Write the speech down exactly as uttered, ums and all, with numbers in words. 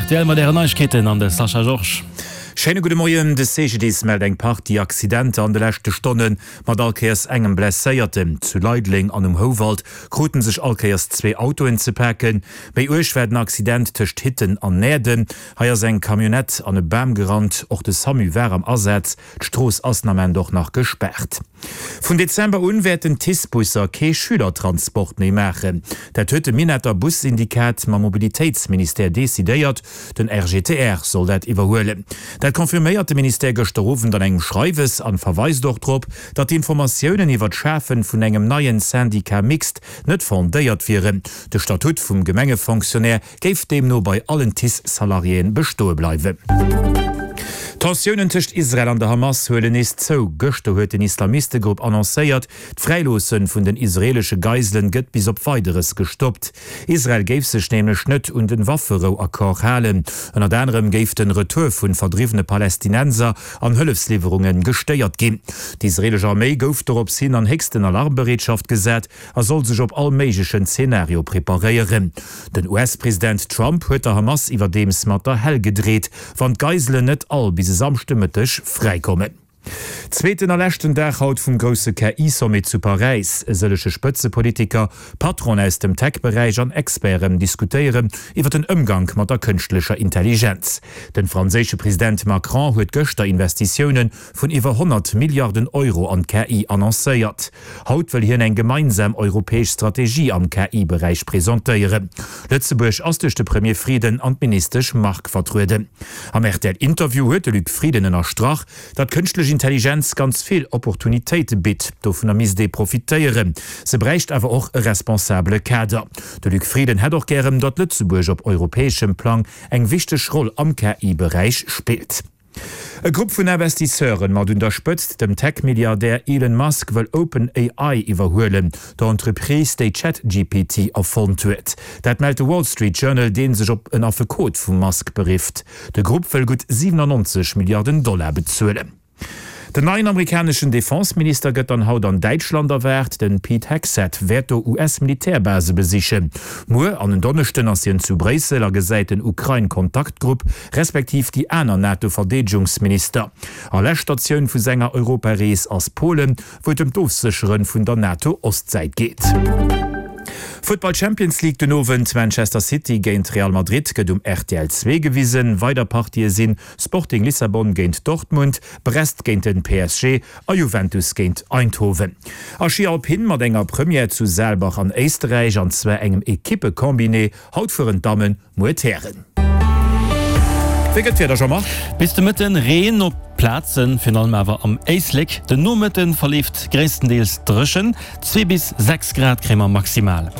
R T L mat Ären Neiegkeeten an de Sascha Georges. Schéine gudde Moien. De C G D I S mellt eng Partie Accidenter an de leschte Stonne mat all Kéiers engem Blesséierten. Zu Leideleng an um Houwald krute sech all Kéiers zwee Autoen ze paken. Méi uerg war den Accident tëscht Hitten an Näerden. Hei ass eng Camionnette an e Bam gerannt. Och de SAMU war am Asaz. D'Strooss ass den Ament och nach gespaart. Vun Dezember un wäerten d'TICE-Busser kee Schülertransport méi maachen. Dat huet de Minetter Bussyndikat mam Mobilitéitsministère decidéiert. Den R G T R soll dat iwwerhuelen. Dat confirméiert de Ministère gëschter Owend an engem Schreiwes an verweist och drop, datt d'Informatiounen iwwer d'Schafe vun engem neien Syndicat mixte net fondéiert wieren. De Statut vum Gemengefonctionnaire géif deemno bei allen TICE-Salariéen bestoe bleiwen. D'Tensiounen tëscht Israel an der Hamas huelen nees zou. Gëschter huet den Islamistegrupp annoncéiert, d'Fräiloosse vun den israeelesche Geiselen gëtt bis op Weideres gestoppt. Israel géif sech nämlech net un de Wafferou-Accord halen. Ënnert anerem géif den Retour vun verdriwwene Palästinenser an Hëllefsliwwerunge gestéiert ginn. D'israeelesch Arméi gouf dorops hin an héchsten Alarmbereetschaft gesat a soll sech op all méiglechen Zenario preparéieren. Den U S-President Trump huet der Hamas iwwerdeems mat der Hell gedreet, wann d'Geiselen net all bis e Samschdemëtteg fräikommen. Zweeten a leschten Dag haut vum grousse K I-Sommet zu Paräis. E sëllege Spëtzepolitiker, Patronen aus dem Tech-Beräich an Experten diskutéieren iwwer den Ëmgank mat der kënschtlecher Intelligenz. Den franséische President Macron huet gëschter Investitioune vun iwwer honnert Milliarden Euro an K I annoncéiert. Haut wëll hien eng gemeinsam europäesch Strategie am K I-Beräich presentéieren. Lëtzebuerg ass duerch de Premier Frieden an d'Ministesch Margue vertrueden. Am R T L-Interview huet de Luc Frieden ënnerstrach, datt kënschtlech Intelligenz ganz vill Opportunitéite bitt, dovunner misst ee profitéieren. Se bräicht awer och e responsabele Kader. De Luc Frieden hätt och gären, datt Lëtzebuerg op europäeschem Plang eng wichteg Roll am K I-Beräich spillt. E Grupp vun Investisseuren mat un der Spëtzt dem Tech-Milliardär Elon Musk wëll OpenAI iwwerhuelen, der Entreprise, déi ChatG P T erfonnt huet. Dat mellt de Wall Street Journal, dee sech op en Affekot vum Musk berifft. De Grupp wëll gutt siwenannonzeg Milliarden Dollar bezuelen. Den neien amerikaneschen Defenseminister gëtt dann haut an Däitschland erwaart. Den Pete Hegseth wäert do U S-Militärbase besichen. Muer an en Donneschden ass hien zu Bréissel a gesäit den Ukrain-Kontaktgrupp respektiv déi aner NATO-Verdeedegungsminister. A lescht Statioun vu senger Europarees ass Polen, wou et ëm d'Ofséchere vun der NATO-Ostsäit geet. Futtball Champions League den Owend, Manchester City géint Real Madrid gëtt um R T L zwee gewisen. Weider Partië sinn Sporting Lissabon géint Dortmund, Brest géint den P S G a Juventus géint Eindhoven. A Schi Alpin mat enger Première zu Saalbach an Éisterräich, an zwar engem Ekippe-Combiné. Haut fueren d'Dammen, muer d'Hären. Wéi gëtt d'Wieder, Jean-Marc? Bis de Mëtten Reen op Plazen, virun allem awer am Éislek. Den Nomëtten verleeft gréisstendeels dréchen, zwee bis sechs Grad kréie mer maximal.